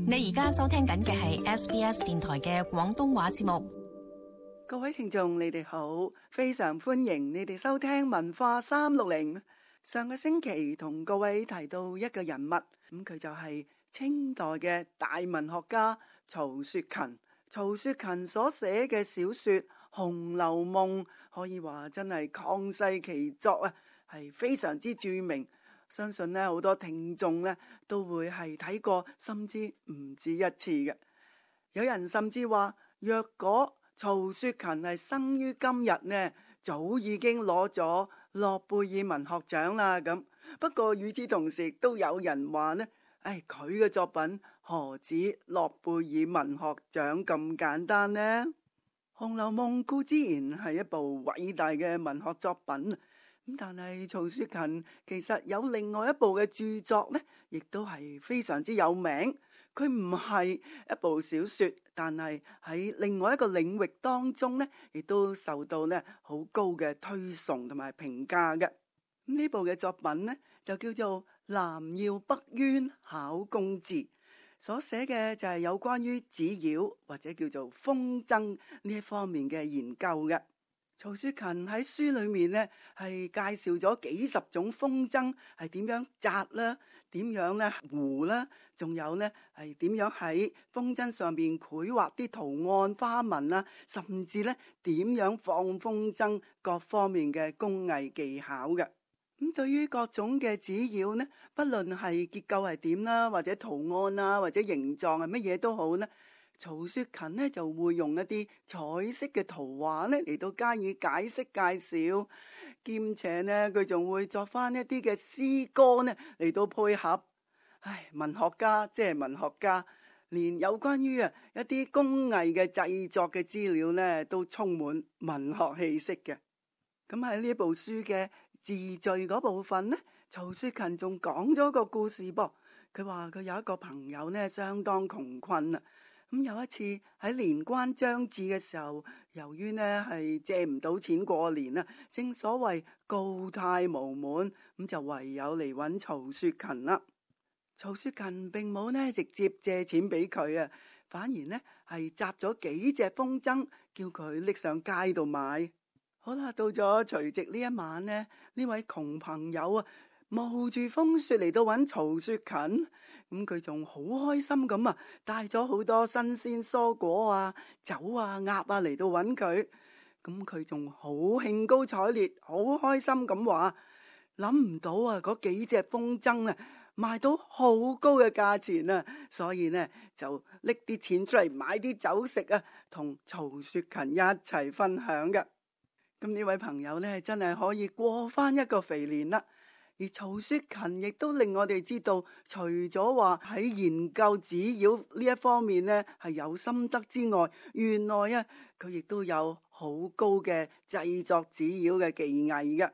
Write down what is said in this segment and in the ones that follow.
你而家收聽緊嘅係 SBS 電台嘅廣東話節目。各位聽眾，你哋好，非常歡迎你哋收聽文化360。上個星期同各位提到一個人物，佢就係清代嘅大文學家曹雪芹。曹雪芹所寫嘅小說《紅樓夢》可以話真係曠世奇作啊，係非常之著名。相信呢好多聽眾呢都會係睇過，甚至唔止一次嘅。有人甚至話，若果曹雪芹係生於今日呢，早已經攞咗諾貝爾文學獎啦。咁不過與此同時，都有人話呢，佢嘅作品何止諾貝爾文學獎咁簡單呢？《紅樓夢》固之然係一部偉大嘅文學作品，但係曹雪芹其實有另外一部嘅著作呢，亦都係非常之有名。佢唔係一部小說，但係喺另外一個領域當中呢，亦都受到呢好高嘅推崇同埋評價嘅。呢部嘅作品呢，就叫做《南耀北淵考工字》，所寫嘅就係有關於紙鷂或者叫做風箏呢一方面嘅研究嘅。曹雪芹喺書裏面呢，係介紹咗幾十種風箏係點樣紮啦，點樣咧糊啦，仲有呢係點樣喺風箏上邊繪畫啲圖案花紋啦，甚至呢點樣放風箏各方面嘅工藝技巧嘅。咁對於各種嘅紙鷂呢，不論係結構係點啦，或者圖案啊，或者形狀係乜嘢都好呢，曹雪芹呢就會用一啲彩色嘅圖畫呢嚟到加以解釋介紹，兼且呢佢仲會作翻一啲嘅詩歌呢嚟到配合。文學家即係文學家，連有關於一啲工藝嘅製作嘅資料呢都充滿文學氣息嘅。咁喺呢部書嘅自序嗰部分呢，曹雪芹仲講咗個故事噃。佢話佢有一個朋友呢相當窮困啊。咁有一次喺年關將至嘅時候，由於呢係借唔到錢過年啊，正所謂告貸無門，咁就唯有嚟揾曹雪芹啦。曹雪芹並冇呢直接借錢俾佢啊，反而呢係紮咗幾隻風箏，叫佢拎上街度賣。好啦，到咗除夕呢一晚呢，呢位窮朋友啊，冒住風雪嚟到揾曹雪芹，咁佢仲好開心咁啊，帶咗好多新鮮蔬果啊、酒啊、鴨啊嚟到揾佢。咁佢仲好興高采烈，好開心咁話，諗唔到啊，嗰幾隻風箏啊賣到好高嘅價錢啊，所以呢就拎啲錢出嚟買啲酒食啊，同曹雪芹一齊分享㗎。咁呢位朋友呢，真係可以過翻一個肥年啦。而曹雪芹亦都令我哋知道，除咗話喺研究紙鷂呢一方面呢係有心得之外，原來啊佢亦都有好高嘅製作紙鷂嘅技藝嘅。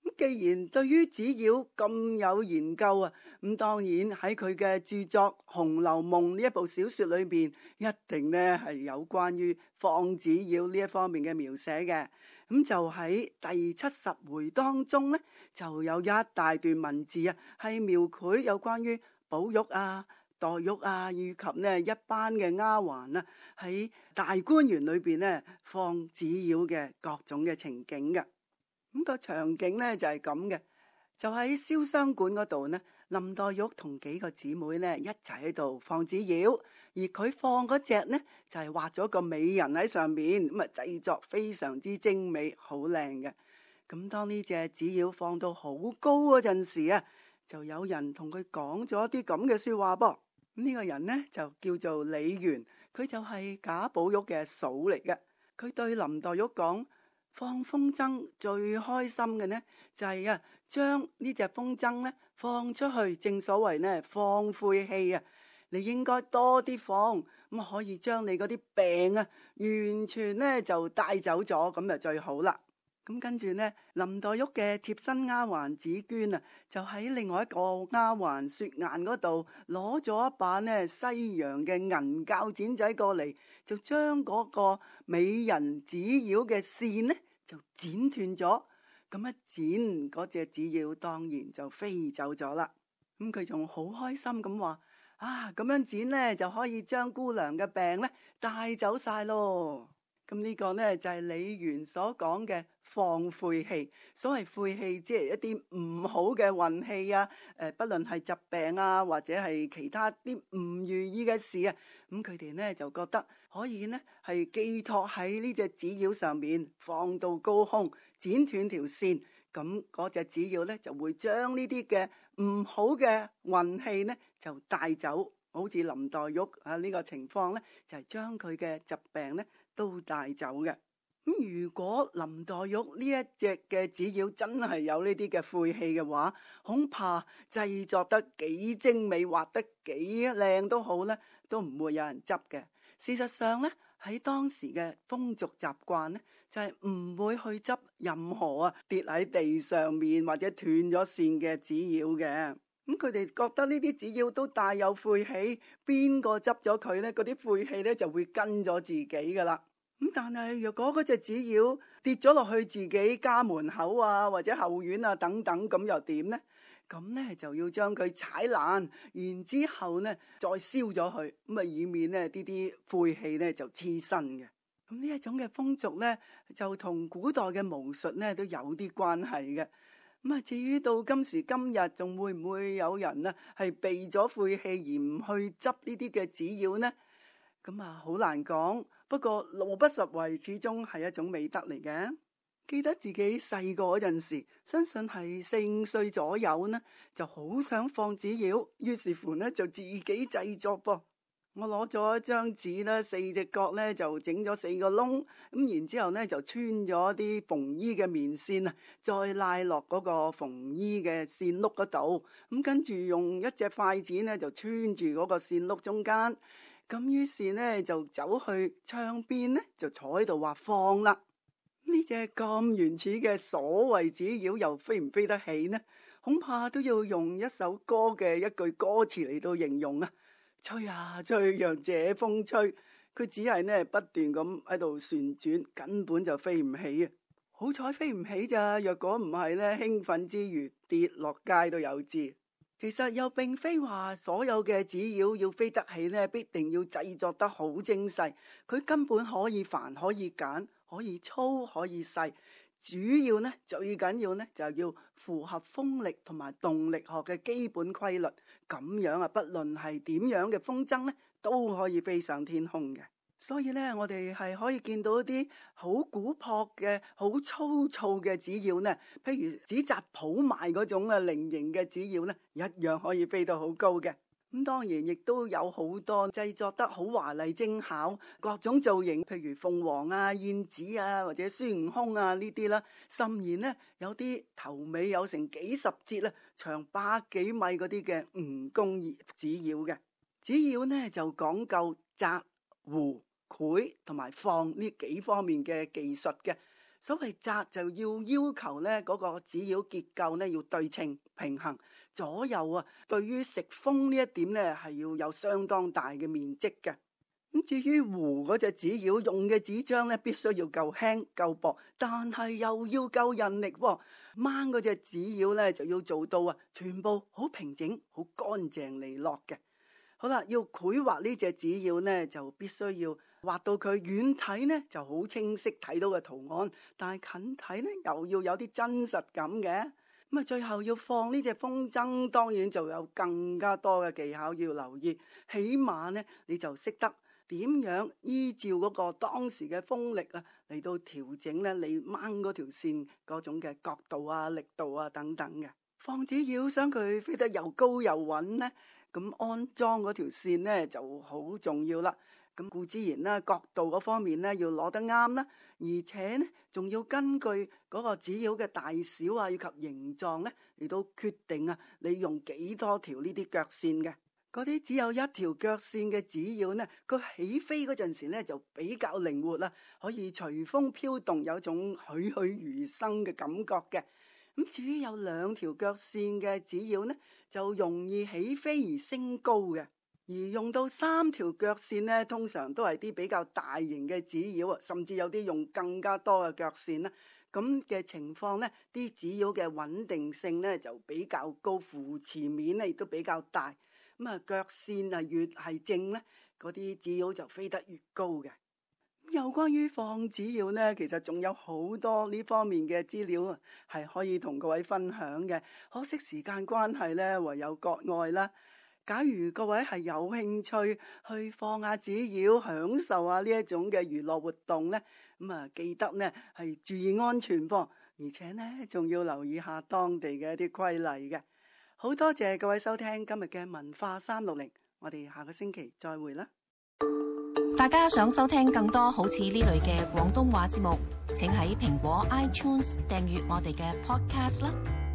咁既然對於紙鷂咁有研究啊，咁當然喺佢嘅著作《紅樓夢》呢一部小說裏邊，一定呢係有關於放紙鷂呢一方面嘅描寫嘅。咁就喺第70回當中呢，就有一大段文字啊，係描繪有關於寶玉啊、黛玉啊，以及呢一班嘅丫鬟啊，喺大觀園裏邊呢放紙鷂嘅各種嘅情景嘅。咁個場景呢就係咁嘅，就喺瀟湘館嗰度呢，林黛玉同幾個姊妹呢一齊喺度放紙鷂，而佢放嗰隻呢就係畫咗個美人喺上面，咁啊製作非常之精美，好靚嘅。咁當呢隻紙鷂放到好高嗰陣時啊，就有人同佢講咗一啲咁嘅說話噃。呢個人呢就叫做李紈，佢就係賈寶玉嘅嫂嚟嘅。佢對林黛玉講，放風箏最開心嘅呢就係將呢隻風箏呢放出去，正所謂呢放晦氣啊，你應該多啲放，咁可以將你嗰啲病啊完全呢就帶走咗，咁就最好啦。咁跟住呢，林黛玉嘅貼身丫鬟紫鵑啊，就喺另外一個丫鬟雪雁嗰度攞咗一把呢西洋嘅銀鉸剪仔過嚟，就將嗰個美人紙鷂嘅線呢就剪斷咗。咁一剪，嗰隻紙鷂當然就飛走咗啦。咁佢仲好開心咁話：咁樣剪呢，就可以將姑娘嘅病呢帶走晒咯。咁呢個呢，就係李元所講嘅放晦氣。所謂晦氣，即係一啲唔好嘅運氣啊，不論係疾病啊，或者係其他啲唔如意嘅事啊，咁佢哋呢就覺得可以呢係寄託喺呢隻紙鷂上面，放到高空，剪斷條線，咁嗰隻紙鷂呢就會將呢啲嘅唔好嘅運氣呢就帶走。好似林黛玉呢個情況呢，就係將佢嘅疾病呢都帶走嘅。咁如果林黛玉呢一隻嘅紙鷂真係有呢啲嘅晦氣嘅話，恐怕製作得幾精美，畫得幾靚都好呢，都唔會有人執嘅。事實上呢，喺當時嘅風俗習慣呢，就係唔會去執任何跌喺地上面或者斷咗線嘅紙鷂嘅。咁佢哋覺得呢啲紙鷂都帶有晦氣，邊個執咗佢呢？嗰啲晦氣呢就會跟咗自己噶啦。咁但係若果嗰隻紙鷂跌咗落去自己家門口啊，或者後院啊等等，咁又點呢？咁呢就要將佢踩爛，然之後呢再燒咗佢，咁以免呢啲晦氣呢就黐身嘅。咁呢一種嘅風俗呢，就同古代嘅巫術呢都有啲關係嘅。咁至於到今時今日，仲會唔會有人呢係避咗晦氣而唔去執呢啲嘅紙鷂呢？咁好難講。不過路不拾遺始終係一種美德嚟嘅。記得自己細個嗰陣時，相信係4、5歲左右呢，就好想放紙鷂，於是乎呢就自己製作噃。我攞咗一張紙呢，4隻角呢就整咗4個窿，咁然之後呢就穿咗啲縫衣嘅棉線啊，再拉落嗰個縫衣嘅線碌嗰度，咁跟住用一隻筷子呢就穿住嗰個線碌中間，咁於是呢就走去窗邊呢就坐喺度畫放啦。呢隻咁原始嘅所謂紙鷂又飛唔飛得起呢？恐怕都要用一首歌嘅一句歌詞嚟到形容啊！吹啊吹，讓這風吹，佢只係呢不斷咁喺度旋轉，根本就飛唔起啊！好彩飛唔起咋，若果唔係呢，興奮之餘跌落街都有知。其實又並非話所有嘅紙鷂要飛得起呢，必定要製作得好精細。佢根本可以繁，可以簡，可以粗，可以細。主要呢，最緊要呢，就要符合風力同埋動力學嘅基本規律，咁樣不論係點樣嘅風箏呢，都可以飛上天空嘅。所以呢，我哋係可以見到一啲好古樸嘅、好粗糙嘅紙鷂呢，譬如紙紮鋪賣嗰種菱形嘅紙鷂呢，一樣可以飛到好高嘅。咁當然亦都有好多製作得好華麗精巧，各種造型，譬如鳳凰啊、燕子啊，或者孫悟空啊呢啲啦。甚至呢，有啲頭尾有成幾十節啦，長100幾米嗰啲嘅蜈蚣紙鷂嘅。紙鷂呢就講究紮、弧、繪同埋放呢幾方面嘅技術嘅。所謂紮就要求呢嗰個紙鷂結構呢要對稱平衡，左右對於食風呢一點呢係要有相當大嘅面積嘅。咁至於弧嗰隻紙鷂用嘅紙張呢，必須要夠輕夠薄，但係又要夠韌力喎。掹嗰隻紙鷂呢就要做到全部好平整、好乾淨利落嘅。好啦，要繪畫呢隻紙鷂呢，就必須要畫到佢遠睇呢就好清晰睇到嘅圖案，但係近睇呢又要有啲真實感嘅。咁最後要放呢隻風箏，當然就有更加多嘅技巧要留意。起碼呢，你就識得點樣依照嗰個當時嘅風力嚟到調整呢你掹嗰條線嗰種嘅角度啊、力度啊等等嘅。放紙鷂想佢飛得又高又穩呢，咁安裝嗰條線呢就好重要啦。咁固之然啦，角度嗰方面呢要攞得啱啦，而且呢仲要根據嗰個紙鷂嘅大小以及形狀呢嚟到決定你用幾多條呢啲腳線嘅。嗰啲只有一條腳線嘅紙鷂呢，佢起飛嗰陣時呢就比較靈活啦，可以隨風飄動，有種栩栩如生嘅感覺嘅。咁至於有2條腳線嘅紙鷂呢，就容易起飛而升高嘅。而用到3條腳線呢，通常都係啲比較大型嘅紙鷂，甚至有啲用更加多嘅腳線啦。咁嘅情況呢，啲紙鷂嘅穩定性呢就比較高，扶持面呢亦都比較大。咁啊腳線啊越係正咧，嗰啲紙鷂就飛得越高嘅。有關於放紙鷂呢，其實仲有好多呢方面嘅資料啊，係可以同各位分享嘅。可惜時間關係呢，唯有割愛啦。假如各位係有興趣去放下紙鷂，享受下呢一種嘅娛樂活動呢，咁啊記得呢係注意安全噃，而且呢仲要留意下當地嘅一啲規例嘅。好多謝各位收聽今日嘅文化360，我哋下個星期再會啦。大家想收聽更多好似呢類嘅廣東話節目，請喺蘋果 iTunes 訂閱我哋嘅 Podcast 啦。